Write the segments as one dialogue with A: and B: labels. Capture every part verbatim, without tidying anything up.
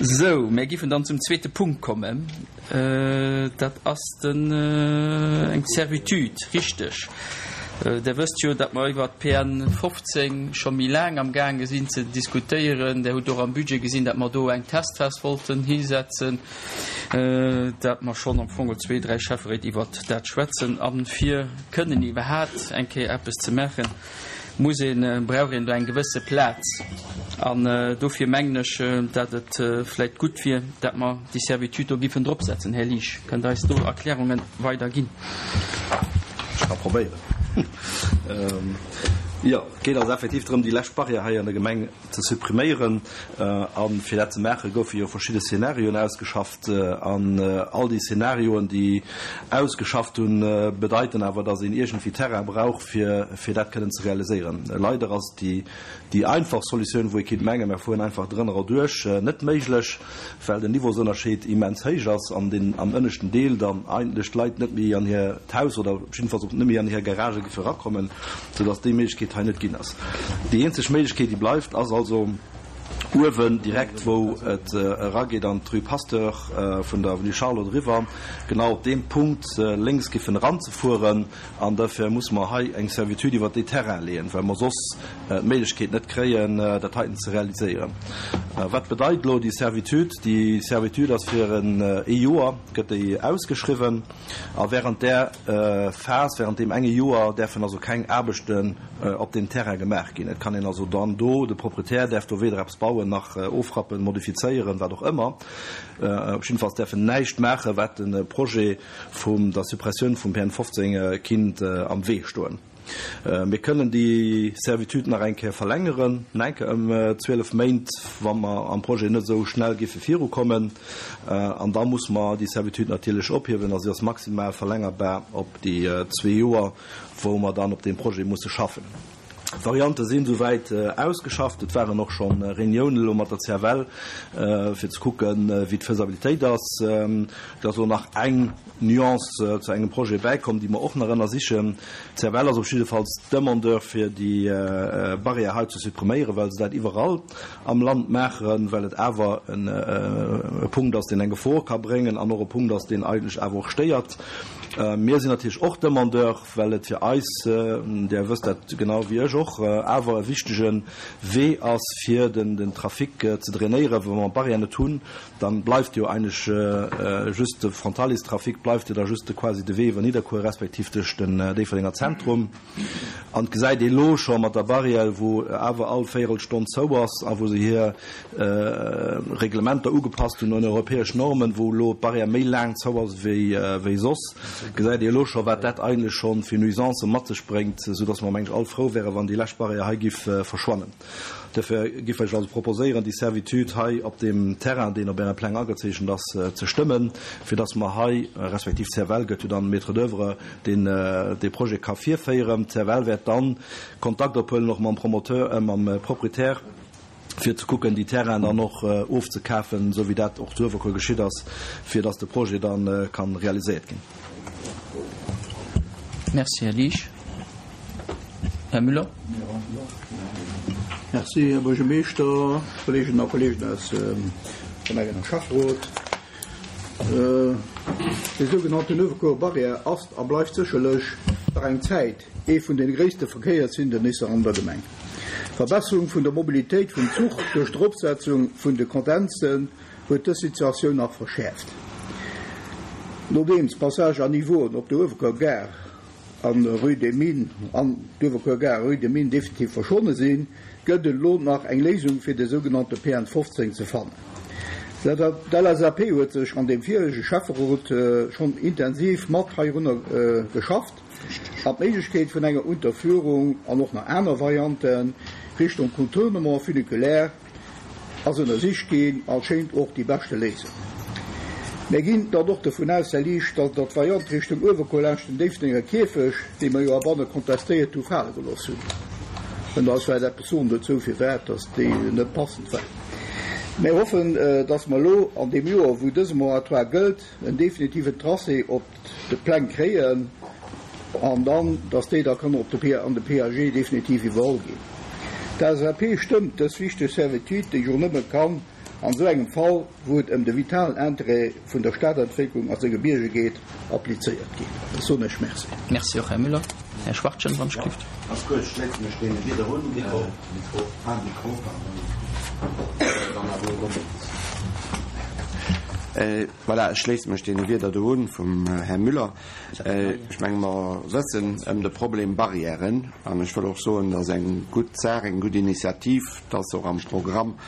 A: Sou, mär giffen dann zum zweete Punkt kommen. Dat ass den, eng Servitude, richteg. Der wësst jo, datt mer iwwert d'P N fofzéng scho méi laang amgaange sinn ze diskutéieren. Der hutt och am Budget gesinn, datt mer do eng Testphas wollten hisetzen, datt mer schonn am Fong zwee, dräi Schäfferéit iwwert dat schwätzen. A fir kënnen iwwerhaapt eng Kéier eppes ze maachen, muss een, brauch een do eng gewësse Plaz. An dofir mengen ech, datt et vläicht gutt wier, datt mer déi Servitude do giffen dropsetzen. Här Liesch, kënnt Der eis do Erklärunge weider ginn?
B: Ech ka probéieren. Jo, et geet also effektiv drëm, déi lescht Barrière hei an der Gemeng ze suppriméieren. A fir dat ze maachen, goufe jo verschidde Szenarioen ausgeschafft. An all déi Szenarioen, déi ausgeschafft hunn, bedeiten awer, datt een iergendwéi Terrain brauch, fir, fir dat kënnen ze realiséieren. Leider ass déi, déi einfach Solutioun, wou ee kéint mengen, mer fueren einfach drënner erduerch, net méiglech, well den Niveausënnerscheed immens héich ass an deen am ënneschten Deel dann eigentlech d'Leit net méi an hir d'Haus oder jiddefalls och net méi an hir Garagë géife erakommen, soudass déi Méiglechkeet hei net ginn ass. Déi eenzeg Méiglechkeet, déi bleift, ass also uewen direkt, wou et erageet an d'Rue Pasteur vun der Avenue Charlotte eriwwer, genau op deem Punkt lénks giffen eranzefueren. An dofir musse mer hei eng Servitude iwwert dee Terrain leeën, well mer soss d'Méiglechkeet net kréien, dat heiten ze realiséieren. Wat bedeit elo déi Servitude? Déi Servitude ass fir ee Joer, gëtt déi ausgeschriwwen. A während där Phas, während deem enge Joer, däerfen also keng Aarbechten op deem Terrain gemaach ginn. Et kann een also dann do, de Proprietär däerf do weder eppes bauen nach ofrappen, modifizéieren, wat och ëmmer. Op jiddefalls däerf en näischt maachen, wat de Projet vum der Suppressioun vum P N fofzéng kinnt am Wee stoen. Mir kënnen déi Servitude nach eng Kéier verlängeren, nach eng Kéier ëm zwielef Méint, wa mer am Projet net esou schnell géife virukommen. An da muss mer déi Servitude natierlech ophiewen a si ass maximal verlängerbar op déi zwee Joer, wou mer dann op deem Projet musse schaffen. D'Variante sinn souwäit ausgeschafft. Et waren och scho Reuniounen elo mat der C F L, fir ze kucken, wéi d'Faisabilitéit ass. Et ass elo nach eng Nuance zu engem Projet bäikomm, déi mer och nach ënnersichen. D'C F L ass op jiddefalls Demandeur, fir déi Barrière hei ze suppriméieren, well se dat iwwerall am Land maachen, well et awer e Punkt ass, deen eng Gefor ka bréngen an och e Punkt ass, deen eigentlech awer och stéiert. Mir sinn natierlech och Demandeur, well et fir eis, Dir wësst dat genau wéi ech och, awer e wichtege Wee ass, fir den Trafic ze drainéieren. Wa mer d'Barrière net hunn, dann bleift jo eigentlech just de Frontaliers-Trafic, bleift jo da just quasi de Wee iwwer Nidderkuer respektiv duerch den Déifferdenger Zentrum. An et gesäit ee elo scho mat der Barrière, wou awer all Véierelstonn zou ass a wou se hir Reglementer ugepasst hunn un europäesch Normen, wou elo d'Barrière méi laang zou ass wéi soss, gesäit ee elo scho, wat dat eigentlech scho fir Nuisancë mat sech bréngt, soudass mer, meng ech, all frou wären, wann déi lescht Barrière hei giff verschwannen. Duerfir giff ech also proposéieren, déi Servitude hei op deem Terrain, deen op Äre Pläng agezeechent ass, ze stëmmen, fir dass mer hei, respektiv d'C F L gëtt jo dann Maître d'œuvre, deen dee Projet ka virféieren. D'C F L wäert dann Kontakt ophuelen och mam Promoteur, mam Proprietär, fir ze kucken, déi Terrainen dann och ofzekafen, esou wéi dat och zu Uewerkuer geschitt ass, fir dass de Projet dann ka realiséiert ginn.
A: Merci, Här Liesch. Här Müller.
C: Merci, Här Buergermeeschter, Kolleeginnen a Kolleegen aus dem Gemengen a Schäfferot. Déi sougenannten Uewerkuerer Barrière ass a bleift sécherlech nach eng Zäit ee vun de gréisste Verkéiershindernisse an der Gemeng. D'Verbesserung vun der Mobilitéit vum Zuch duerch d'Eropsetzung vun de Kondenzen huet dës Situatioun nach verschäerft. Nodeems d'Passage à niveauen op der Uewerkuer Gare an Rue des Mines an d'Uewerkuer Gare Rue des Mines definitiv verschwonne sinn, gëtt et elo nach eng Léisung fir de sougenannte P N fofzéng ze fannen. D'L S A P huet sech an deem virege Schäfferot schonn intensiv mat heirunner geschafft an d'Méiglechkeet vun enger Unterführung an och nach aner Varianten Richtung Contournement funiculaire ass ënnersicht ginn a schéint och déi beschte Léisung. Mir ginn dann och dovun aus, Här Liesch, datt Der d'Variant Richtung Uewerkuer laanscht den Déifferdenger Kierfecht, déi mer jo heibanne kontestéiert hu, fale gelooss hunn. Kënnt Der eis vläicht eppes soen dozou, firwat datt déi net passend war? Mir hoffen, datt mer elo an deem Joer, wou dëse Moratoire gëllt, en definitiven Tracé op de Pläng kréien an dann, datt déi da kënnen op de P-, an de P A G definitiv iwwerholl ginn. D'L S A P stëmmt dës wichteg Servitude, déi jo nëmme kann an esou engem Fall, wou et ëm de vitalen Interêt vun der Stadentwécklung a senge Bierger geet, applizéiert ginn. Da soen ech Merci.
A: Merci och, Här Müller. Här Schwachtgen, wann ech gelift.
D: Ganz kuerz, ech schléisse mech deene Wieder un. Mikro, Mikro, ah, Mikro, pardon. Dann awer elo doppelt. Voilà, ech schléisse mech deene Wieder do un vum Här Müller. Ech menge mer wëssen ëm de Problem Barrièren an ech wëll och soen, dat ass eng gutt Saach, eng gutt Initiativ, dat ass och am Programm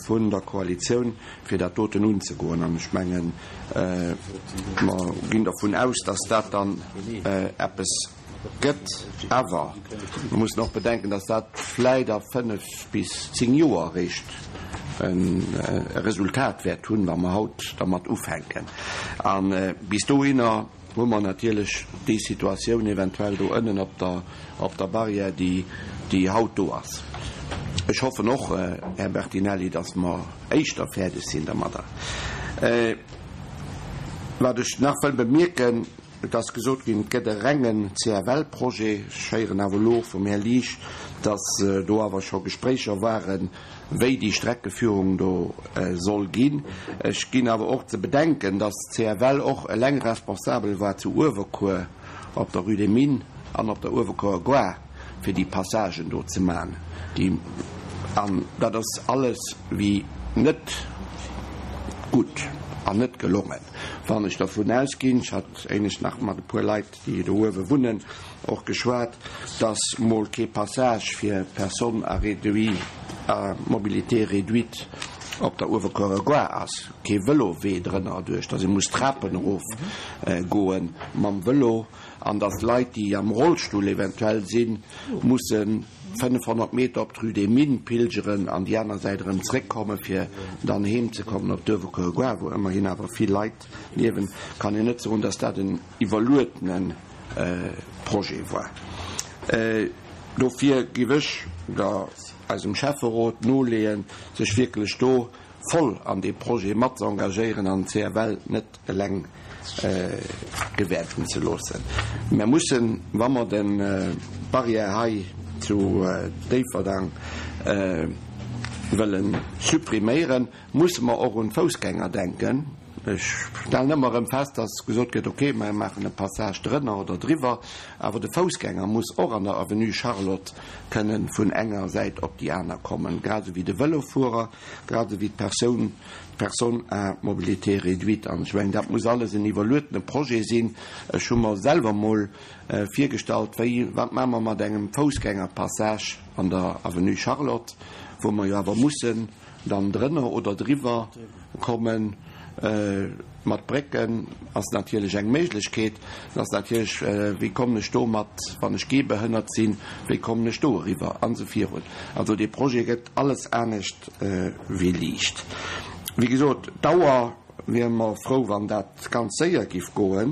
D: vun der Koalitioun, fir dat doten unzegoen. An ech mengen, mer ginn dervun aus, dass dat dann eppes gëtt. Awer mer mussen och bedenken, dass dat vläit a fënnef bis zéng Joer eréischt e Resultat wäert hunn, wa mer haut dermat ufänken. A bis dohinner hu mer natierlech déi Situatioun eventuell do ënnen op der, op der Barrière, déi, déi haut do ass. Ech hoffen och, Här Bertinelli, dass mer éischter fäerdeg sinn dermadder. Wat ech nach wëll bemierken, et ass gesot ginn, et gëtt e rengen C F L-Projet. Ech héieren awer elo vum Här Liesch, dass do awer scho Gespréicher waren, wéi déi Streckeführung do soll ginn. Ech ginn awer och ze bedenken, dass C F L och eleng responsabel war zu Uewerkuer op der Rue des Mines an op der Uewerkuerer Gare, fir déi Passagen do ze maachen. Déi, an dat ass alles wéi net gutt an net gelongen. Wann ech dervun ausginn, ech hat éinescht nach mat e puer Leit, déi do uewe wunnen, och geschwat, dass mol kee Passage fir Personnes à réduit, à mobilité réduite op der Uewerkuerer Gare ass, kee Vëlowee drënner duerch, dass ee muss Trapen erof goen mam Vëlo an dass Leit, déi am Rollstull eventuell sinn, musse fënnefhonnert Meter op d'Rue des Mines pilgeren an déi aner Säit erëm zréckkomme fir dann heem ze kommen op d'Uewerkuerer Gare, wou ëmmerhin awer vill Leit liewen, kann een net soen, dass dat en iwwerluedene Projet war. Dofir géif ech der eisem Schäfferot noleeën, sech wierklech do voll an dee Projet mat ze engagéieren an C F L net eleng gewäerten ze loossen. Mir mussen, wa mer de Barrière hei zu Déifferdang wëlle suppriméieren, musse mer och un d'Foussgänger denken. Ech stellen ëmmer erëm fest, dass gesot gëtt, okay, mer maachen e Passage drënner oder driwwer, awer de Foussgänger muss och an der Avenue Charlotte kënnen vun enger Säit op déi aner kommen, grad esou wéi de Vëlofuerer, grad esou wéi d'Persoun, d'Personne à mobilité réduite. An ech mengen, dat muss alles en iwwerluetene Projet sinn. Ech hu mer selwer mol virgestallt, wéi, wat maache mer mat engem Foussgängerpassage an der Avenue Charlotte, wou mer jo awer mussen dann drënner oder driwwer kommen. Mat Brécken ass natierlech eng Méiglechkeet. Dat ass natierlech, wéi kommen ech do mat, wann ech gehbehënnert sinn, wéi kommen ech do eriwwer an esou virun. Also dee Projet gëtt alles anescht wéi liicht. Wéi gesot, d'Dauer wiere mer frou, wann dat ganz séier giff goen,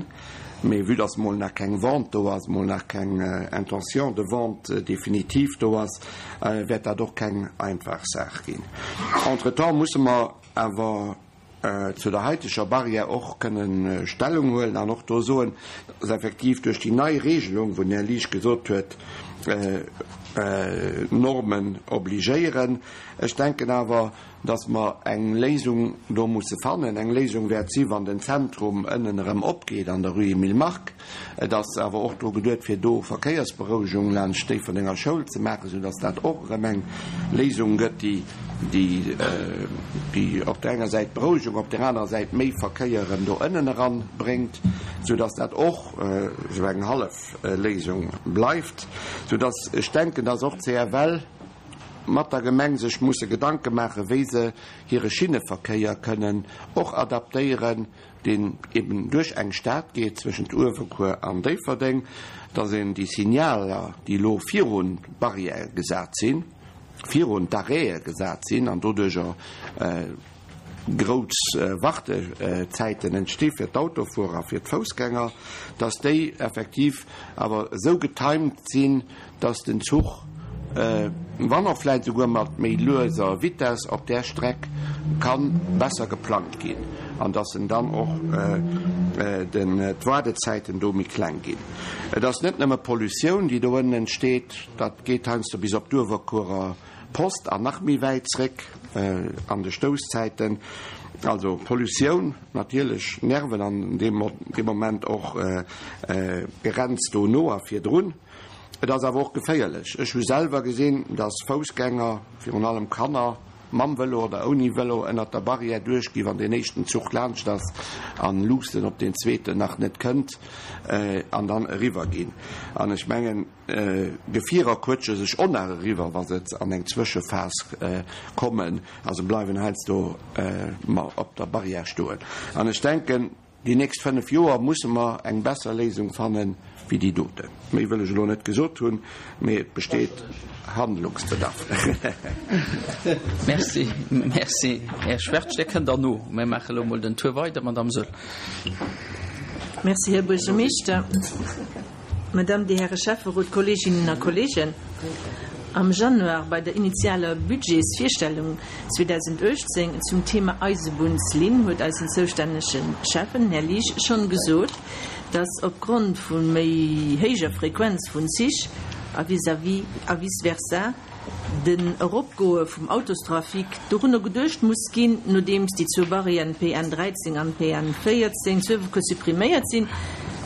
D: mee vue dass mol nach keng Vente do ass, mol nach keng Intention de vente définitive do ass, wäert dat och keng einfach Saach ginn. Entretemps musse mer awer zu der haiteger Barrière och kënnen Stellung huelen an och do soen, dass effektiv duerch déi nei Regelung, wou den Här Liesch gesot huet, Normen obligéieren. Ech denken awer, dass mer eng Léisung do musse fannen. Eng Léisung wäert si wann den Zentrum ënnen erëm opgeet an der Rue Emile Mark. Et ass awer och dru geduet, fir do Verkéiersberouegung laanscht d'Déifferdenger Schoul ze maachen, soudass dat och erëm eng Léisung gëtt, déi, déi, déi op der enger Säit Berouegung, op der anerer Säit méi Verkéier erëm do ënnen eran bréngt, soudass dat och esou eng hallef Léisung bleift, soudass ech denken, dass och C F L mat der Gemeng sech musse Gedanke maachen, wéi se hire Schinneverkéier kënnen och adaptéieren, deen eben duerch eng Stad geet zwëschent Uewerkuer an Déifferdeng, dass een déi Signaler, déi elo virun d'Barrièrë gesat sinn, virun d'Arrêtë gesat sinn an doduercher grouss Wartezäiten entsti fir d'Autofuerer a fir d'Foussgänger, dass déi effektiv awer esou getimed sinn, dass den Zuch, wann och vläit esouguer mat méi lueser Vitess op där Streck, ka besser geplangt ginn an dass en dann och d'Waardezäiten do méi kleng ginn. Et ass net nëmme Pollutioun, déi do ënnen entsteet, dat geet heiansdo bis op d'Uewerkuerer Post an nach méi wäit zréck, an de Stousszäiten. Also Pollutioun natierlech, Nerven an deem Moment och Grenz dono a virdrun. Et ass awer och geféierlech. Ech hu selwer gesinn, dass Foussgänger, virun allem Kanner, mam Vëlo oder ouni Vëlo ënnert der Barrière duerchgi wann deen éischten Zuch laanscht ass an luussen op deen zweeten nach net kënnt an dann eriwwer ginn. An ech mengen, Gefierer quëtsche sech och nach eriwwer, wa se an eng Zwëschephas kommen a se bleiwen heiansdo op der Barrière stoen. An ech denken, déi nächst fënnef Joer musse mer eng besser Léisung fanne wéi déi doten. Méi wëll ech elo net gesot hunn, mee et besteet Handlungsbedarf.
A: Merci, merci. Här Schwertsch, Dir kënnt derno. Mir maache elo mol den Tour weider, Madamm Söll.
E: Merci, Här Buergermeeschter. Madame, Dir Häre Schäfferot, Kolleeginnen a Kolleegen, am Januar bei der initialer Budgetsvirstellung zweedausenduechtzéng zum Thema Eisebunnslinn huet eisen zoustännege Schäffen, Här Liesch, schonn gesot, dass opgrond vu méi héijer Frequenz vun Zich a vis-à-vis a vice versa den Eropgoe vum Autostrafic dorunner geduecht muss ginn, nodeems déi zwou Barrièren P N dräizéng an P N véierzéng zu Uewerkuer suppriméiert sinn.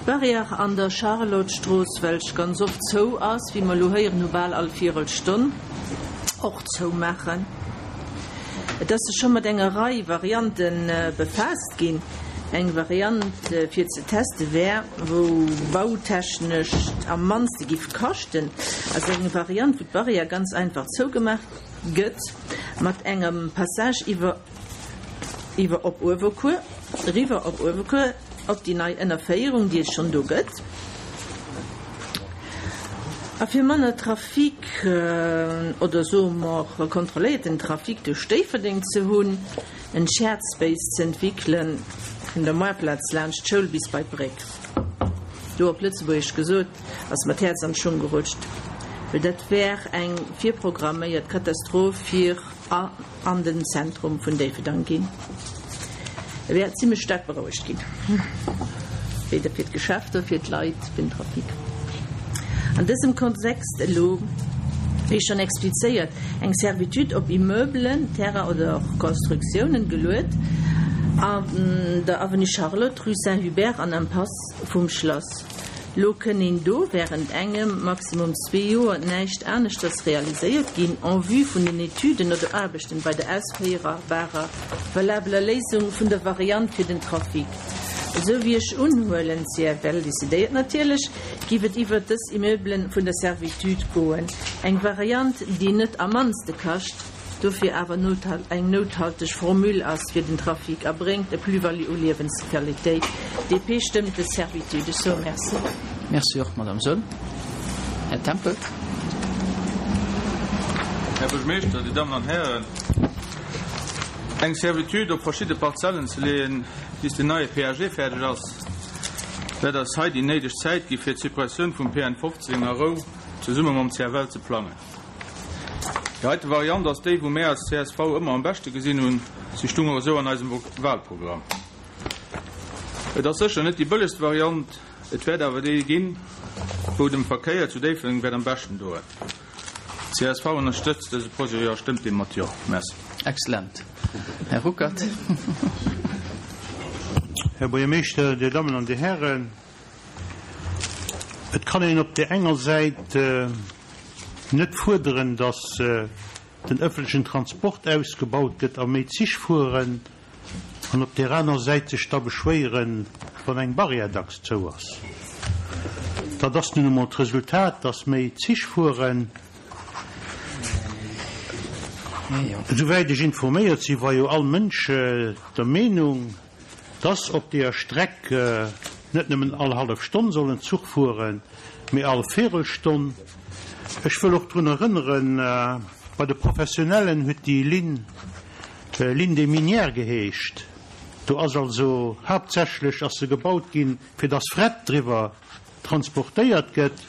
E: D'Barrière an der Charlottestrooss, welch ganz oft zou ass, wéi mer elo héieren hu bal all Virelstonn, och zoumaachen. Et ass sech scho mat enger Rei Variante befaasst ginn. Eng Variant fir ze teste wär, wou bautechnesch am mannste giff kaschten, ass eng Variant, wou d'Barrière ganz einfach zougemaach gëtt mat engem Passage iwwer iwwer op Uewerkuer, eriwwer op Uewerkuer, op déi nei Ënnerféierung, déi et schonn do gëtt. A fir manner Trafic, oder soe mer kontrolléierten Trafic duerch Déifferdeng ze hunn, en Shared Space ze entwéckelen vun der Moartplaz laanscht d'Schoul bis bei d'Bréck. Do op Lëtzebuergesch gesot, ass mer d'Häerz an d'Schung gerutscht, well dat wär eng virprogramméiert Katastroph fir a an den Zentrum vun Déifferdang ginn. E wär zimlech staark berouegt ginn, weder fir d'Geschäfter, fir d'Leit, fir den Trafic. An dësem Kontext elo, wéi schonn explizéiert, eng Servitude op Immeubelen, Terrain oder och Constructiounen geluet an der Avenue Charlotte, Rue Saint-Hubert an Impasse vum Schlass. Lo kënn een do während engem, maximum zwee Joer näischt aneschters realiséiert ginn en vue vun den Etüden oder Aarbechten bei der ausféierbarer valabeler Léisung vun der Variant fir den Trafic. Esou wéi ech unhuelen, C F L decidéiert natierlech, giff et iwwert dës Immeubelen vun der Servitude goen. Eng Variant, déi net am mannste kascht, dofir awer eng nouthalteg Formule ass fir den Trafic a bréngt e Plus-value u Liewensqualitéit. D P stëmmt des Servitude. Ech soe Merci.
A: Merci och, Madame Söll. Här Tempel.
F: Här Buergermeeschter, Dir Dammen an Hären, eng Servitude op verschidde Parzellen ze leeën, bis den neie P A G fäerdeg ass, wäert eis hei déi néideg Zäit gi fir d'Suppressioun vum P N fofzéng a Rou zesumme mam C F L ze plangen. Déi heite Variant ass déi, wou mär als C S V ëmmer am beschte gesinn hunn, si stung och esou an eisem Wahlprogramm. Et ass sécher net déi bëllegst Variant, et wäert awer déi ginn, wou dem Verkéier zu Déifferdeng wäert am beschten doen. C S V ënnerstëtzt dëse Projet a stëmmt deem mat Jo. Merci.
A: Excellent. Här Ruckert.
G: Här Buergermeeschter, Dir Dammen an Dir Hären, et kann een op der enger Säit net fuerderen, dass den ëffentlechen Transport ausgebaut gëtt a méi Zich fueren, an op der aner Säit sech da beschwéieren, wann eng Barrière dacks zou ass. Dat ass nun emol d'Resultat, dass méi Zich fueren. Esouwäit ech informéiert sinn, war jo all Mënsch der Meenung, dass op deeër Streck net nëmmen all hallef Stonn soll en Zuch fueren, mee all Véirelstonn. Ech wëll och drun erënneren, bei de Professionellen huet déi Linn Ligne des Minières geheescht. Do ass also haaptsächlech ass se gebaut ginn, fir dass Fret driwwer transportéiert gëtt.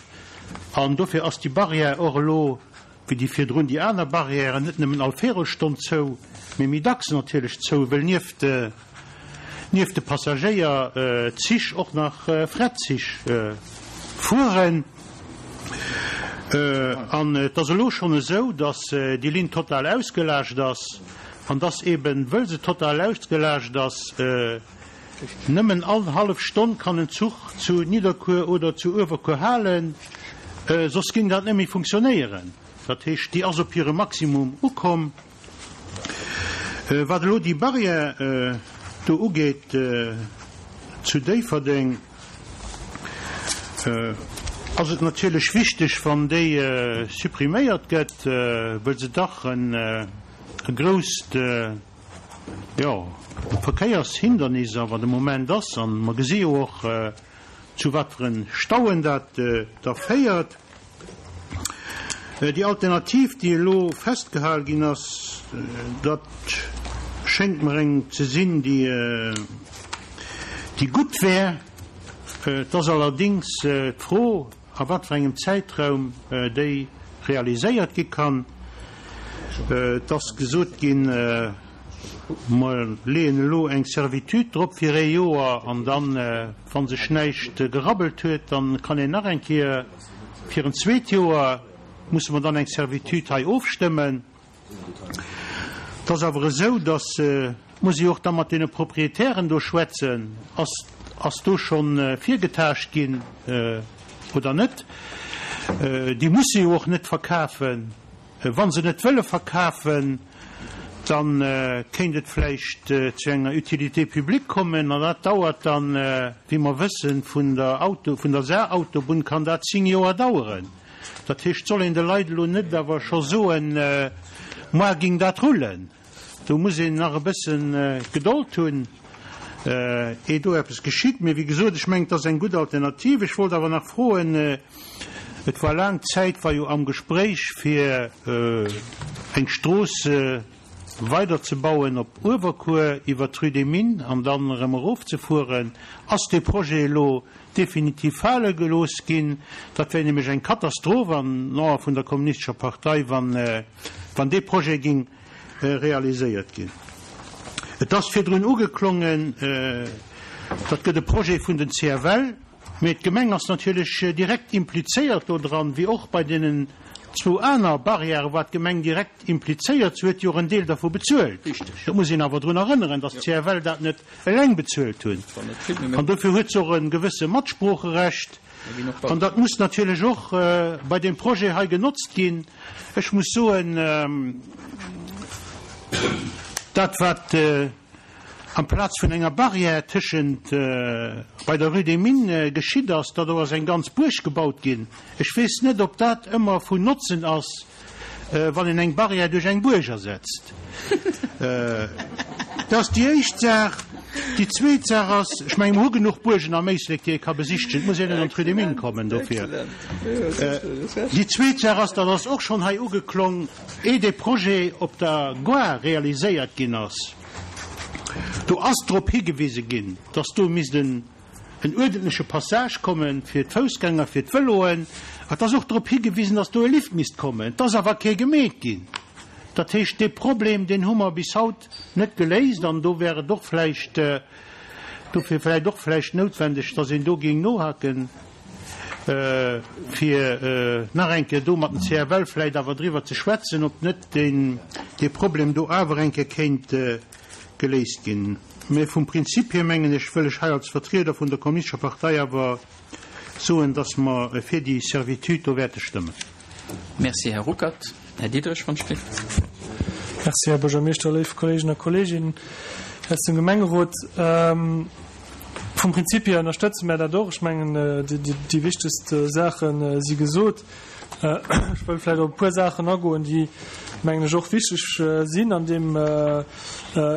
G: An dofir ass déi Barrière och elo, wéi déi virdrun déi aner Barrièren, net nëmmen all Véirelstonn zou, mee méi dacks natierlech zou, well nieft nieft de Passagéierzich och nach Fretzich fueren. An et ass elo schonn esou, dass déi Linn total ausgelaascht ass. An dass eben, wëll se total ausgelaascht ass, nëmmen all hallef Stonn kann en Zuch zu Nidderkuer oder zu Uewerkuer halen, soss géing dat net méi funktionéieren. Dat heescht, déi ass op hire Maximum ukomm. Wat elo déi Barrière do ugeet zu Déifferdeng, ass et natierlech wichteg, wann déi suppriméiert gëtt, wëll se dach e grousst, jo, Verkéiershindernis awer de Moment ass. A mer gesi jo och, zu wat fir e Stauen dat da féiert. Déi Alternativ, déi elo festgehal ginn ass, dat schéngt mer eng ze sinn, déi, déi gutt wär. Et ass allerdéngs d'Fro, a wat fir engem Zäitraum déi realiséiert gi kann. Et ass gesot ginn, mer leeën elo eng Servitude drop fir ee Joer an dann, wa sech näischt gerabbelt huet, da kann een nach eng Kéier fir en zweet Joer, musse mer dann eng Servitude hei ofstëmmen. Et ass awer esou, datt, et muss ee jo och da mat deene Proprietären do schwätzen, ass, ass do scho virgetaascht ginn oder net? Déi musse jo och net verkafen. Wa se net wëlle verkafen, da kéint et vläicht zu enger Utilité publique kommen an dat dauert dann, wéi mer wëssen, vun der Auto, vun der Saarautobunn kann dat zéng Joer daueren. Dat heescht, soll een de Leit elo net awer scho soen, moar géing dat rullen. Do muss een nach e bësse Gedold hunn, eer do eppes geschitt. Mee wéi gesot, ech mengen, et ass eng gutt Alternativ. Ech wollt awer nach froen, et war laang Zäit war jo am Gespréich, fir eng Strooss weiderzebauen op Uewerkuer iwwer d'Rue des Mines an dann erëm erofzefueren. Ass dee Projet elo definitiv fale gelooss ginn? Dat wär nämlech eng Katastroph an den Ae vun der Kommunistescher Partei, wann, wann dee Projet géing realiséiert ginn. Et ass virdrun ugeklongen, dat gëtt e Projet vun den C F L, mee d'Gemeng ass natierlech direkt implizéiert do dran, wéi och bei deenen zwou aner Barrièrë war d'Gemeng direkt implizéiert. Se huet jo och en Deel dervu bezuelt. Dat muss een awer drun erënneren, datt d'C F L dat net eleng bezuelt hunn. An dofir huet se och e gewësse Matsproocherecht. An dat muss natierlech och bei deem Projet hei genotzt ginn. Ech muss soen, dat wat amplaz vun enger Barrière tëschent bei der Rue des Mines geschitt ass, datt do ass eng ganz Buerg gebaut ginn. Ech weess net, ob dat ëmmer vun Notzen ass, wann een eng Barrière duerch eng Buerg ersetzt. Dat ass déi éischt Saach. Déi zweet Saach ass, ech mengen, mer hu genuch Buergen am Éislek, déi ee ka besichtegen. Et muss een net an d'Rue des Mines kommen dofir. Déi zweet Saach ass, dat ass och schonn hei ugeklong, ee dee Projet op der Gare realiséiert ginn ass, do ass drop higewise ginn, dass do misst en uerdentleche Passage komme fir d'Foussgänger, fir d'Vëloen. Et ass och drop higewisen, dass do e Lift misst kommen. Et ass awer kee gemeet ginn. Dat heescht, dee Problem, deen hu mer bis haut net geléist an do wär et och vläicht, dofir vläicht och vläicht noutwendeg, dass een do géing nohaken, fir nach eng Kéier do mat dem C F L vläicht awer driwwer ze schwätzen, ob net deen, dee Problem do awer eng Kéier kéint geléist ginn. Mä vum Prinzip hier, mengen ech, wëll ech hei als Vertrieder vun der Kommunistescher Partei awer soen, dass mer fir déi Servitude do wäerte stëmmen.
A: Merci, Här Ruckert. Här Diderich von Stift.
H: Merci, Här Buergermeeschter, léif Kolleegen a Kolleeginnen aus dem Gemengerot. Vum Prinzip hier ënnerstëtze mär dat och. Ech mengen, déi wichtegst Saache si gesot. Ech wëll vläicht op e puer Saachen agoen, déi, mengen ech, och wichteg sinn an deem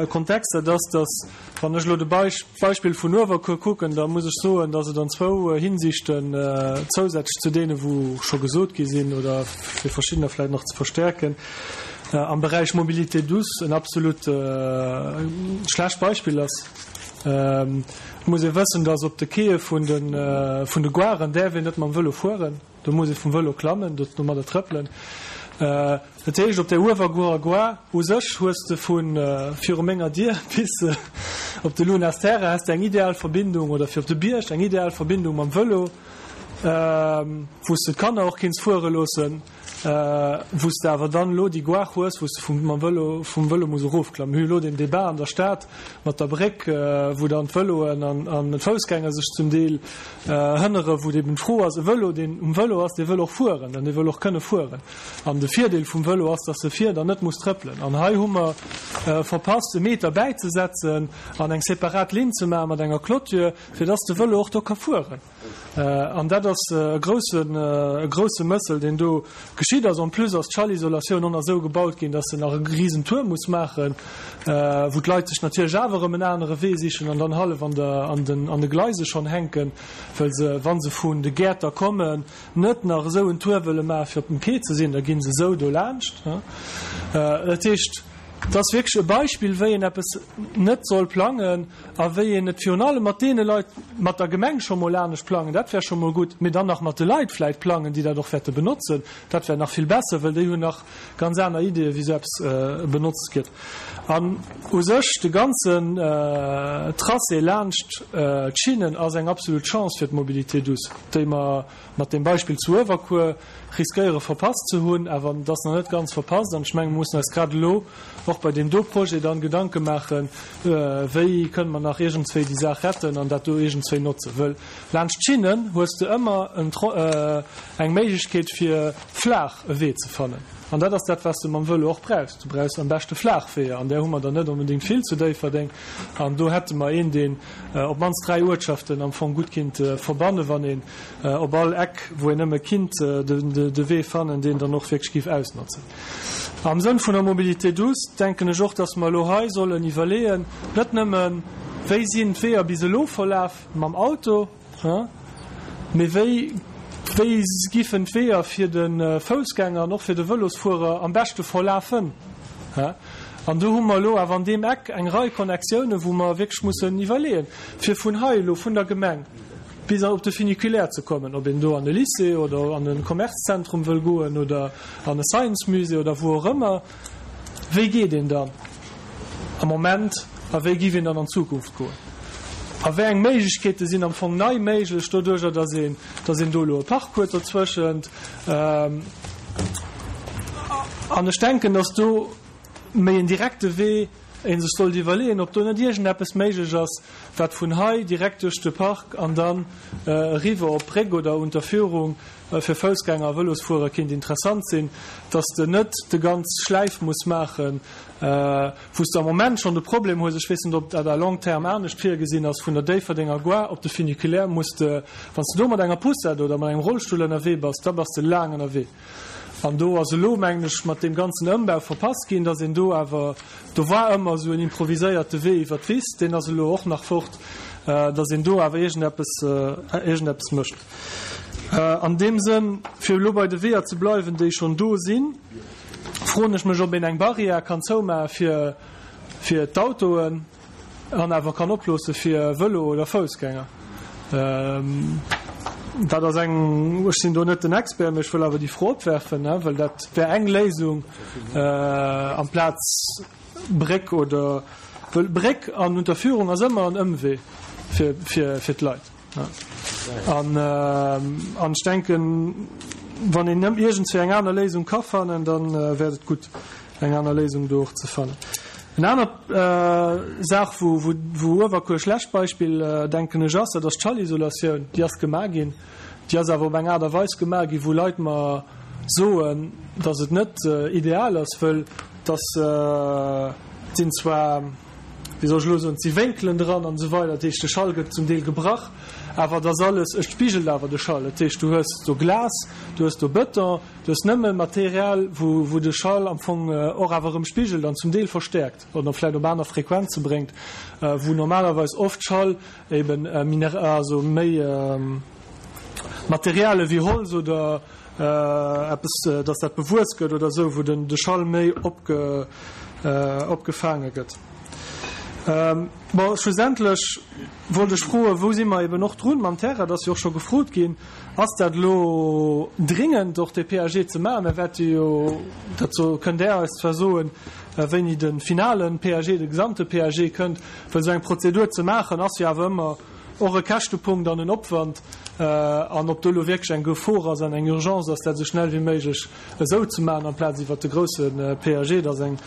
H: Kontext. Dat ass, dass, wann ech elo de Beispill vun Uewerkuer kucken, da muss ech soen, dass et an zwou Hinsichten, zousätzlech zu deene wou scho gesot gi sinn oder fir verschiddener vläicht nach ze verstärken, am Beräich Mobilité douce en absolut schlecht Beispill ass. Et muss ee wëssen, dass op de Quaie vun de Garen däerf een net mam Vëlo fueren. Do muss ee vum Vëlo klammen, domadder trëppelen. Dat heescht, op der Uewerkuerer Gare u sech hues de vu viru menger Dier bis op de Lunas Terre has de eng ideal Verbindung, oder fir op de Bierg eng ideal Verbindung mam Vëlo, wou s de d'Kanner och kinns fuere loossen. wou s de awer dann elo déi Gare hues, wou s de vum, mam Vëlo, vum Vëlo muss erofklammen. Mir hu elo deen Débat an der Stad mat der Bréck, wou dann d'Vëloen an, an d'Foussgänger sech zum Deel hënneren, wou eben d'Fro ass, e Vëlo, deen um Vëlo ass, dee wëll och fueren an dee wëll och kënne fueren. An de Virdeel vum Vëlo ass, dass e fiert an net muss trëppelen. An hei hu mer verpasst, e Meter bäizesetzen an eng separat Linn ze maache mat enger Clôture, fir dass de Vëlo och do ka fueren. An dat ass e groussen, e grousse Mëssel, deen do geschitt ass. En plus ass d'Schallisolatioun och nach esou gebaut ginn, dass se nach e risen Tour muss maachen, wou d'Leit sech natierlech awer erëm en anere Wee sichen an dann hallef an der, an den, an de Gleise schonn hänken, well se, wa se vun de Gäerter kommen, net nach esou en Tour wëlle maachen, fir op dem Quai ze sinn. Da gi se esou do laanscht. Dat heescht, Et ass wierklech e Beispill, wéi een eppes net soll plangen a wéi een et virun allem mat deene Leit, mat der Gemeng scho mol anescht plangen, dat wär scho mol gutt, mee dann nach mat de Leit vläicht plangen, déi dat och wäerte benotzen, dat wär nach vill besser, well déi hunn nach ganz aner Ideeë wéi esou eppes benotzt gëtt. An u sech de ganzen Tracé laanscht d'Schinnen ass eng absolut Chance fir d'Mobilité douce, déi mer mat deem Beispill zu Uewerkuer riskéiere verpasst ze hunn, awer et ass nach net ganz verpasst an ech menge mir mussen eis grad elo och bei deem do Projet dann Gedanke maachen, wéi kënne mer nach iergendswéi déi Saach retten an dat do iergendswéi notzen. Wëll laanscht d'Schinnen hues de ëmmer eng Méiglechkeet fir flaach e Wee ze fannen an dat ass dat wat s de mam Vëlo och brauchs. Du brauchs am beschte flaach Weeër an där hu mer der net onbedéngt vill zu Déifferdeng an do hätte mer een, deen op d'mannst dräi Uertschaften am Fong gutt kinnt verbannen, wann een op all Eck, wou een nëmme kinnt de Wee fannen, deen dann och wierklech géif ausnotzen. Am Sënn vun der Mobilité douce denken ech och, dass mer elo hei sollen iwwerleeën, net nëmmen, wéi sinn d'Weeër bis elo verlaf mam Auto, mee wéi, wéi giffen d'Weeër fir de Foussgänger an och fir de Vëlosfuerer am beschte verlafen. An do hu mer elo awer an deem Eck eng Rei Connectiounen, wou mer wierklech mussen iwwerleeën, fir vun hei elo, vun der Gemeng bis op de Funiculaire ze kommen, ob een do an e Lycée oder an e Commercezentrum wëll goen oder an e Science-Musée oder wou och ëmmer, wéi geet een dann am Moment a wéi giff een dann an Zukunft goen? A wéi eng Méiglechkeete sinn am Fong nei méiglech doduerjer, dass een, dass een do elo e Park huet dozwëschent? An ech denken, dass do méi en direkte Wee ee sech sollt iwwerleeën, ob do net iergendeppes méiglech ass, wat vun hei direkt duerch de Park an dann eriwwer op d'Bréck oder Unterführung fir Foussgänger a Vëlosfuerer kéint interessant sinn, dass de net de ganz Schläif muss maachen, wou s de am Moment schonn de Problem hues, ech weess net, ob dat à long terme anescht virgesinn ass, vun der Déifferdenger Gare op de Funiculaire muss de, wann s de do mat enger Poussette oder mat engem Rollstull ënnerwee bass, da bass de laang ënnerwee. An do ass elo, mengen ech, mat deem ganzen Ëmbau verpasst ginn, dass een do awer, do war ëmmer esou en improviséierte Wee iwwer d'Wiss, deen ass elo och nach fort, dass een do awer iergendeppes, iergendeppes mécht. An deem Sënn, fir elo bei de Weeër ze bleiwen, déi schonn do sinn, froen ech mech, ob een eng Barrière kann zoumaache fir, fir d'Autoen an awer kann oploosse fir Vëlo oder Foussgänger. Dat ass eng, ech sinn do net den Expert, mee ech wëll awer déi Fro opwerfen, well dat wär eng Léisung amplaz Bréck oder, well Bréck an Unterführung ass ëmmer en Ëmwee fir, fir, fir d'Leit. An, an ech denken, wann een iergendswéi eng aner Léisung ka fannen, da wär et gutt, eng aner Léisung do och ze fannen. Eng aner Saach, wou Uewerkuer e schlecht Beispill, denken ech, ass, dat ass d'Schallisolatioun. Déi ass gemaach ginn. Déi ass awer op eng Aart a Weis gemaach ginn, wou Leit mer soen, datt et net ideal ass, wëll datt sinn zwar, wéi soll ech elo soen, et si Wénkelen dran an esou weider, dat heescht, de Schall gëtt zum Deel gebrach, awer et ass alles, et spigelt awer de Schall. Dat heescht, du hues do Glas, du hues do Bëton, Du hues nëmme Material, wou de Schall am Fong och awer erëm spigelt an zum Deel verstäerkt oder vläicht op aner Frequenze bréngt, wou normalerweis oft Schall eben also méi Materiale wéi Holz oder eppes, dass dat bewuess gëtt oder esou, wou de Schall méi opgefaange gëtt. Bon, schlussendlech wollt ech froen, wou si mer eben och drun mam Terrain, dat ass jo och scho gefrot ginn, ass dat elo dringend och dee P A G ze maachen? Mir wäerte jo, dat so kënnt Der eis zwar soen, wéini de finale P A G, de gesamte P A G kënnt, well esou eng Prozedur ze maachen ass jo awer ëmmer och e Käschtepunkt an en Opwand. An ob do elo wierklech eng Gefor ass an eng Urgence ass, dat esou schnell wéi méiglech esou ze maachen amplaz iwwert de grousse P A G, dat ass eng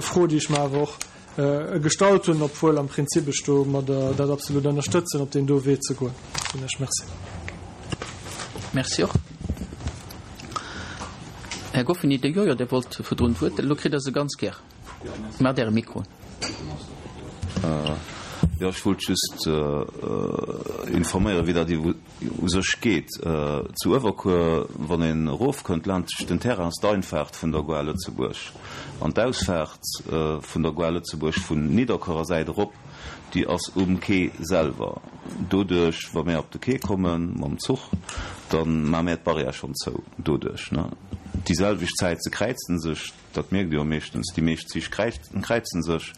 H: Fro, déi ech mer awer och gestallt hunn, obwuel am Prinzip ech do mat dat absolut ënnerstëtzen, op deen do Wee ze goen. Soen ech Merci.
A: Merci och. Här Goffini, de Jojo, Dir wollt virdrun d'Wuert. Elo kritt Der se ganz gär. Maacht Äre Mikro.
I: Jo, ech wollt just informéieren, wéi dat u sech geet. Zu Uewerkuer, wann een erofkënnt laanscht den Terrain, ass d'Einfaart vun der Gare Lëtzebuerg. An d'Ausfaart vun der Gare Lëtzebuerg vun Nidderkuerer Säit erop, déi ass um Quai selwer. Doduerch, wa mär op de Quai komme mam Zuch, da maache mär d'Barrière schonn zou doduerch. Déi selwecht Zäit, se kräizen sech. Dat mierkt Dir jo meeschtens, déi meescht Zich kräizen sech.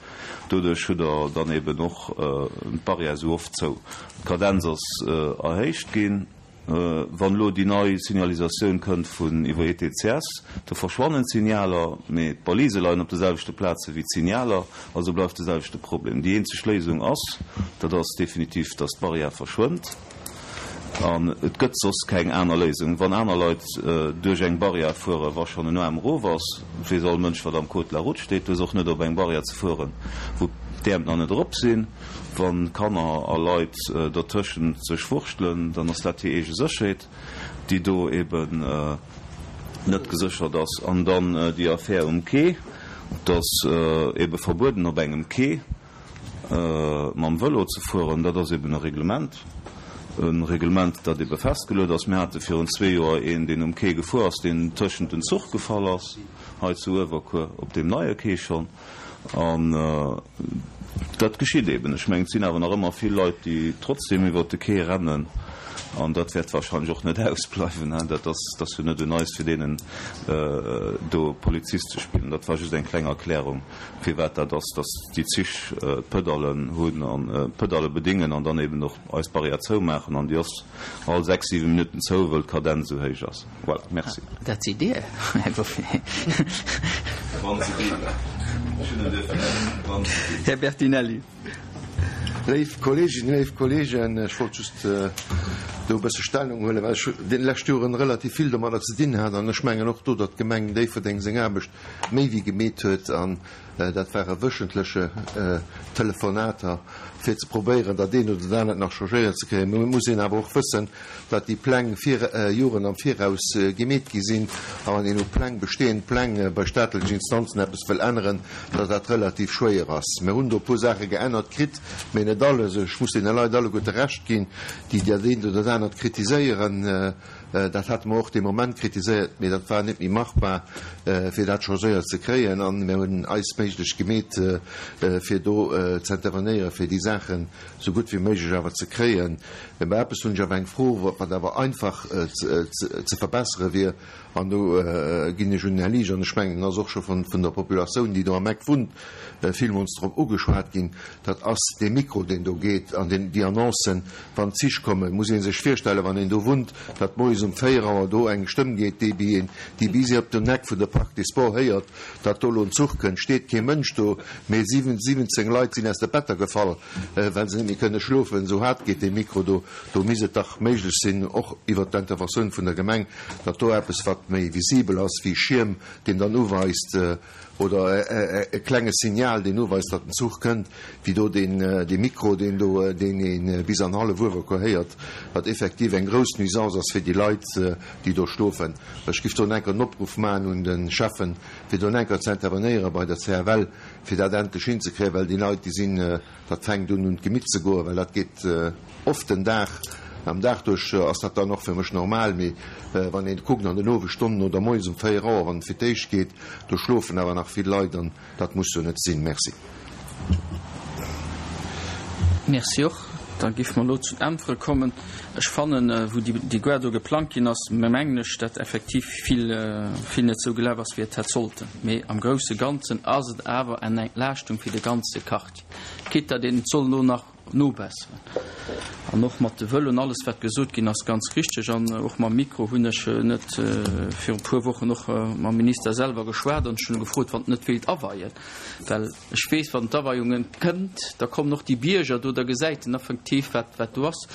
I: Doduerch hutt Der dann eben och d'Barrière esou oft zou. D'Kadenz ass erhéicht ginn. Wann elo déi nei Signalisatioun kënnt vun iwwer E T C S, do verschwannen d'Signaler, mee d'Balise leien op de selwechte Plaze wéi d'Signaler, also bleift de selwechte Problem. Déi eenzeg Léisung ass, dat ass definitiv, datt d'Barrière verschwënnt. An et gëtt soss keng aner Léisung. Wann aner Leit duerch eng Barrière fueren, wa schonn en Aarm erof ass, weess all Mënsch, wat am Code de la route steet, du hues och net op eng Barrière ze fueren, wou d'Äerm nach net erop sinn. Wa Kanner a Leit dertëschent sech wurschtelen, dann ass dat hir eege Sécherheet, déi do eben net geséchert ass. An dann déi Affär um Quai, et ass ebe verbueden, op engem Quai mam Vëlo ze fueren. Dat ass eben e Reglement. E Reglement, dat ebe festgeluet ass. Mir hate virun zwee Joer een, deen um Quai gefuer ass, deen tëschent den Zuch gefall ass, hei zu Uewerkuer, op deem neie Quai schonn. An dat geschitt eben. Ech mengen, et sinn awer nach ëmmer vill Leit, déi trotzdem iwwert de Quai rennen. An dat wäert wahrscheinlech och net ausbleiwen. Dat ass, dat ass jo net un eis, fir deenen do Polizist ze spillen. Dat war just eng kleng Erklärung, firwat dat ass, dass déi Zich d'Pedallen hunn an d'Pedalle bedingen an dann eben och eis Barrière zoumaachen. An déi ass all sechs, siwe Minutten zou, wëll d'Kadenz esou héich ass. Voilà, merci.
A: Dat sidd Dir, Här Goffin.
I: Wann se ginn. Ech hunn en dierfen nennen, wann se ginn.
A: Här Bertinelli.
J: Léif Kolleeginnen, léif Kolleegen, ech wollt just do e bësse Stellung huelen, well ech déi lescht Joren relativ vill domadder ze dinn hat an ech mengen och do, datt d'Gemeng Déifferdeng seng Aarbecht méi wéi gemeet huet an dat ware wöchentleche Telefonater, fir ze probéieren, dat eent oder dat anert nach changéiert ze kréien. Mä et muss een awer och wëssen, datt déi Pläng vir Joren am Viraus gemeet gi sinn a wann een u Pläng, bestehend Pläng bei staatlechen Instanzen eppes wëll änneren, datt dat relativ schwéier ass. Mir hunn do e puer Saache geännert kritt, mä net alles. Ech muss deene Leit alleguerte Recht ginn, déi dat eent oder dat anert kritiséieren. Dat hate mer och dee Moment kritiséiert, mee dat war net méi machbar, fir dat changéiert ze kréien. An mir hunn eis Méiglech gemeet, fir do ze intervenéieren, fir déi Saachen esou gutt wéi méiglech awer ze kréien. Mä bei eppes hunn ech awer eng Fro, wat awer einfach ze verbessere wier, an do ginn ech un den Här Liesch, an ech mengen, en ass och scho vun der Populatioun, déi do am Eck wunnt, villmools drop ugeschwat ginn, dat ass dee Mikro, deen do geet, an déi Annoncen, wann d'Zich kommen. Muss ee sech virstellen, wann een do wunnt, datt moies um véier Auer do eng Stëmm geet, déi bi een, déi bis op den Eck vun der Parc des Sports héiert, datt do elo en Zuch kënnt. Steet kee Mënsch do, mee siwwenzéng Leit sinn aus de Better gefall, well se net méi kënne schlofen, esou haart geet dee Mikro do. Do misst et dach méiglech sinn, och iwwert d'Interventioun vun der Gemeng, datt do eppes, wat méi visibel ass wéi Schierm, deen dann uweist, oder e klenge Signal, deen uweist, datt den Zuch kënnt, wéi do deen dee Mikro, deen do, deen ee bis an hallef Uewerkuer héiert, wat effektiv eng grouss Nuisance ass fir déi Leit, déi do schlofen. Ech giff do enker en Opruff maachen un de Schäffen, fir do enker ze intervenéiere bei der C F L, fir dat endlech hinzekréien, well déi Leit, déi sinn, dat fänkt un un d'Gemitt ze goen, well dat geet oft den Dag, am Dag duerch ass dat dann och fir mech normal, mee wann een kuckt an den Owesstonnen oder moies um véier Auer, wann et fir d'éischt geet, do schlofen awer nach vill Leit an dat muss jo net sinn. Merci.
A: Merci och. Da giff mer elo zu den Äntwere kommen. Ech fannen, wou déi Gare do geplangt ginn ass, mengen ech, datt effektiv vill, vill net esou gelaf ass, wéi et hätt sollten. Mee am grousse Ganzen ass et awer eng Entlaaschtung fir de ganze Quartier, quitte datt een et soll elo nach nobesseren. An och mat de Vëloen, alles wat gesot ginn ass, ganz richteg. An och mam Mikro hunn ech net viru puer Wochen och mam Minister selwer geschwat an ech hunn e gefrot, wann en net wéilt aweien, well ech weess, wann d'Aweiungen kënnt, da kommen och déi Bierger do, da gesäit en effektiv wat wat do ass.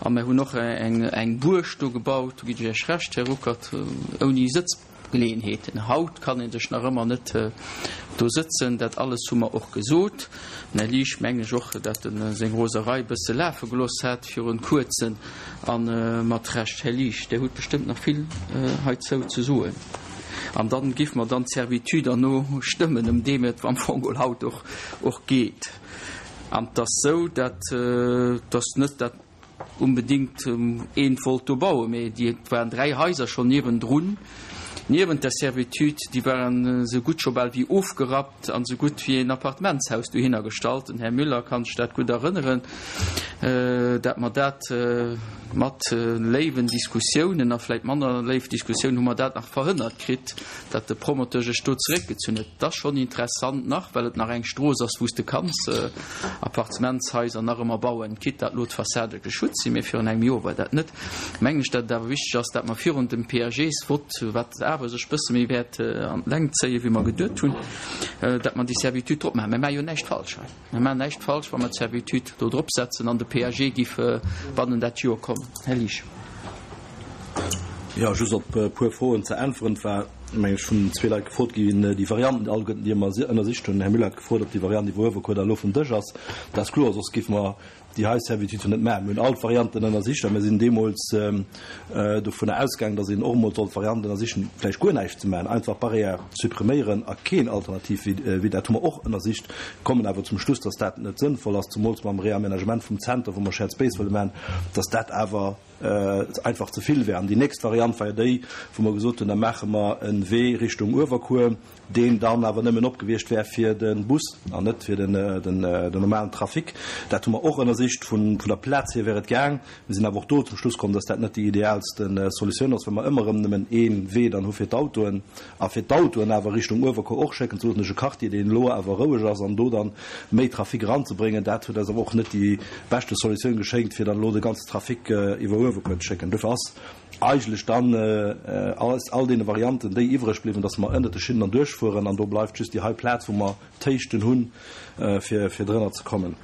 A: A mir hunn och eng eng Buerg do gebaut, do ginn ech Iech Recht, Här Ruckert, ouni Sëtz. Geleeënheeten. Haut kann ee sech nach ëmmer net do sëtzen. Dat alles hu mer och gesot. Den Här Liesch, mengen ech och, dat en seng Roserei e bësse lafe gelooss hat virun kuerzem, a mat Recht. Här Liesch, Dir hutt bestëmmt nach vill heizou ze soen. An dann giff mer dann d'Servitude herno stëmmen, ëm deem et am Fong geholl haut och och geet. An 't ass sou, dat 't ass net dat onbedéngt eent wollt do bauen, mee déi, et waren dräi Haiser schonn niewendrun, niewent der Servitude, déi waren esou gutt scho bal wéi ofgerappt an esou gutt wéi en Appartementshaus dohinner gestallt. Den Här Müller kann sech dat gutt erënneren, dat mer dat mat léiwen Diskussiounen a vläicht manner léif Diskussiounen hu mer dat nach verhënnert kritt, dat de Promoteur sech do zeréckgezunn huet. Et ass schonn interessant nach, well et nach eng Strooss ass, wou s de kanns Appartementshaiser nach ëmmer bauen, quitte dat elo d'Fassade geschützt sinn, mee virun engem Joer war dat net. Mengen ech, dat et awer wichteg ass, dat mer virun dem P A Gs-Vott, wat awer sech bësse méi wäert an d'Längt zéien, wéi mer geduet hunn, dat mer déi Servitude drop maachen. Mir maache jo näischt falsch hei. Mir maachen näischt falsch, wa mer d'Servitude do drop setzen an de P A G giff bannen dat Joer kommen. Här Liesch.
B: Jo, just op e puer Froen ze äntweren. Et war, meng ech, vun zwee Leit gefrot ginn, déi Varianten, déi alleguerten, déi mer ënnersicht hunn. Den Här Müller hat gefrot, ob déi Variant iwwer Uewerkuer da elo vum Dësch ass. Dat ass kloer, soss géife mer déi hei Servitude net maachen. Mir hunn all d'Varianten ënnersicht a mir sinn deemools dovunner ausgaangen, datt een och emol sollt d'Variant ënnersichen, vläicht guer näischt ze maachen, einfach d'Barrière suppriméieren a keen Alternativwee. Dat hu mer och ënnersicht, kommen awer zum Schluss, datt dat net sënnvoll ass, zemools mam Reaménagement vum Zenter, wou mer Shared Space wëlle maachen, datt dat awer einfach ze vill wär. An déi nächst Variant war jo déi, wou mer gesot hunn, da maache mer e Wee Richtung Uewerkuer, deen dann awer nëmmen op gewiescht wär fir de Bus an net fir den normalen Trafic. Dat hu mer och ënnersicht. Vun der Plaz hier wär et gaang. Mir sinn awer och do zum Schluss komm, dass dat net déi ideaalste Solutioun ass, well mer ëmmer erëm nëmmen ee Wee dann hu fir d'Autoen a fir d'Autoen awer Richtung Uewerkuer och schécken ze loossen duerch e Quartier, deen elo awer roueg ass, an do dann méi Trafic eranzebréngen. Dat huet eis awer och net déi beschte Solutioun geschéngt, fir dann elo de ganze Trafic iwwer Uewerkuer ze schécken. Dofir ass eigentlech dann aus all deene Varianten déi iwwreg bliwwen, dass mer ënnert de Schinnen dann duerchfueren an do bleift just déi hei Plaz, wou mer d'Héichten hunn, fir fir drënner ze kommen.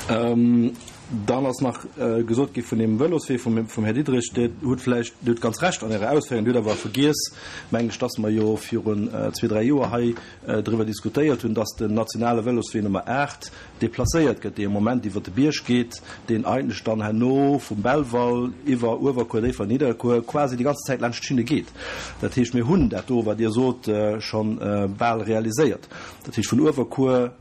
B: Dann ass nach gesot gi vun deem Vëloswee vum vum Här Diderich. Dir hutt vläicht, Dir hutt ganz Recht an Ärer Ausféierung, Dir hutt awer vergiess, mengen ech, dass mer jo virun zwee, dräi Joer hei driwwer diskutéiert hunn, dass den nationale Vëloswee Nummer aacht deplacéiert gëtt, dee am Moment iwwer de Bierg geet, deen eigentlech dann herno vum Belval iwwer Uewerkuer, Déifferdeng, Nidderkuer quasi déi ganz Zäit laanscht d'Schinne geet. Dat heescht, mir hunn dat do, wat Dir sot, scho bal realiséiert. Dat heescht, vun Uewerkuer,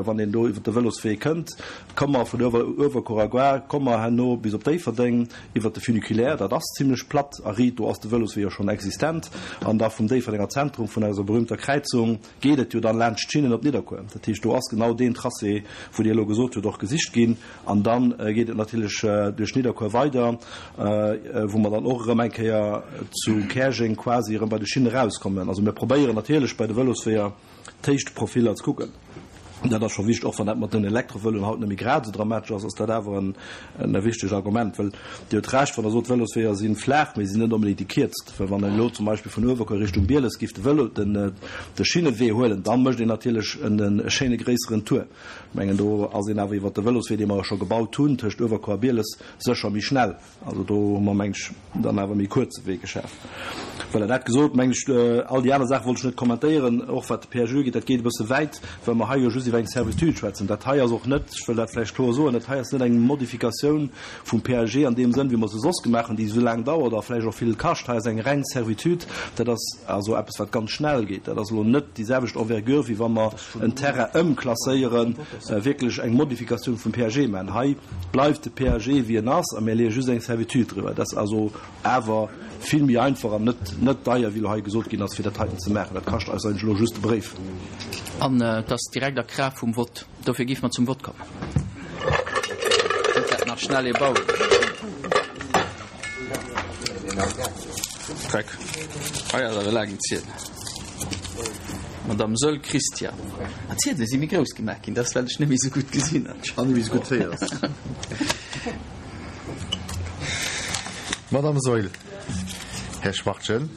B: wann een do iwwer de Vëloswee kënnt, komme mer vun Uewerkuer a Gare, komme mer herno bis op Déifferdeng iwwer de Funiculaire, dat ass zimlech platt a riit, do ass de Vëloswee jo schonn existent, an da vum Déifferdenger Zentrum, vun eiser berühmter Kräizung, geet et jo dann laanscht d'Schinnen op Nidderkuer. Dat heescht, do ass genau deen Tracé, wou Dir elo gesot hutt, och gesicht ginn. An da geet et natierlech duerch Nidderkuer weider, wou mer dann och erëm eng Kéier zu Käerjeng quasi erëm bei de Schinne erauskommen. Also mir probéieren natierlech bei de Vëlosweeër d'Héichtprofiller ze kucken. Dat ass scho wichteg, och wann dat mat den Elektrovëloen haut net méi grad esou dramatesch ass, ass dat awer en wichtegt Argument. Well Dir hutt Recht, wann Der sot, d'Vëlosweeër si flaach, mee si sinn net onbedéngt déi kierzt. Well wann een elo zum Beispill vun Uewerkuer Richtung Bieles géif de Vëlo, den de Schinnewee huelen, da mécht een natierlech en schéine gréisseren Tour. Ech mengen, do ass een awer iwwert de Vëloswee, dee mer jo scho gebaut hunn tëscht Uewerkuer a Bieles, sécher méi schnell. Also do hu mer, meng ech, dann awer méi kuerze Wee geschaf. Voilà, dat gesot, meng ech, all déi aner Saache wollt ech net kommentéieren, och wat de P A G ugeet, dat geet e bësse wäit, well mer hei jo just iwwer eng Servitude schwätzen. Dat hei ass och net, ech wëll dat vläicht kloer soen, dat hei ass net eng Modifikatioun vum P A G an deem Sënn, wéi mer se soss gemaach hunn, déi esou laang dauert a vläicht och vill kascht. Hei ass eng reng Servitude, dat ass also eppes, wat ganz schnell geet. Dat ass elo net déi selwecht Envergure, wéi wa mer en Terrain ëmklasséieren, wierklech eng Modifikatioun vum P A G maachen. Hei bleift de P A G wéi en ass a mir leeë just eng Servitude driwwer. Dat ass also awer vill méi einfach an net net deier, wéi elo hei gesot ginn ass, fir dat heiten ze maachen. Dat kascht eis eigentlech elo just de Bréif.
A: An et ass direkt a Kraaft vum Vott. Dofir géife mer zum Vott kommen. Huet dat nach schnell ee bauen. Dreck. Hei ass awer e laangen Ziedel. Madame Soll Christian. Ah, d'Ziedele si méi grouss gemaach ginn, dat ass well ech net méi esou gutt gesinn.
J: An net méi esou gutt héiers.
K: Madame Saeul. Här Schwachtgen.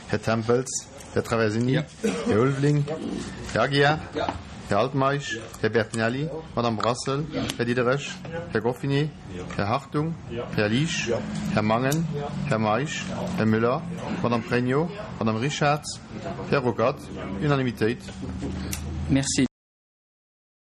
K: Här Tempels. Här Traversini. Här Ulveling. Här Aguiar. Här Altmeisch. Här Bertinelli. Madame Brassel. Här Diderich. Här Goffinet. Här Hartung. Här Liesch. Här Mangen. Här Meisch. Här Müller. Madame Pregno. Madame Richartz. Här Ruckert. Unanimitéit.
A: Merci.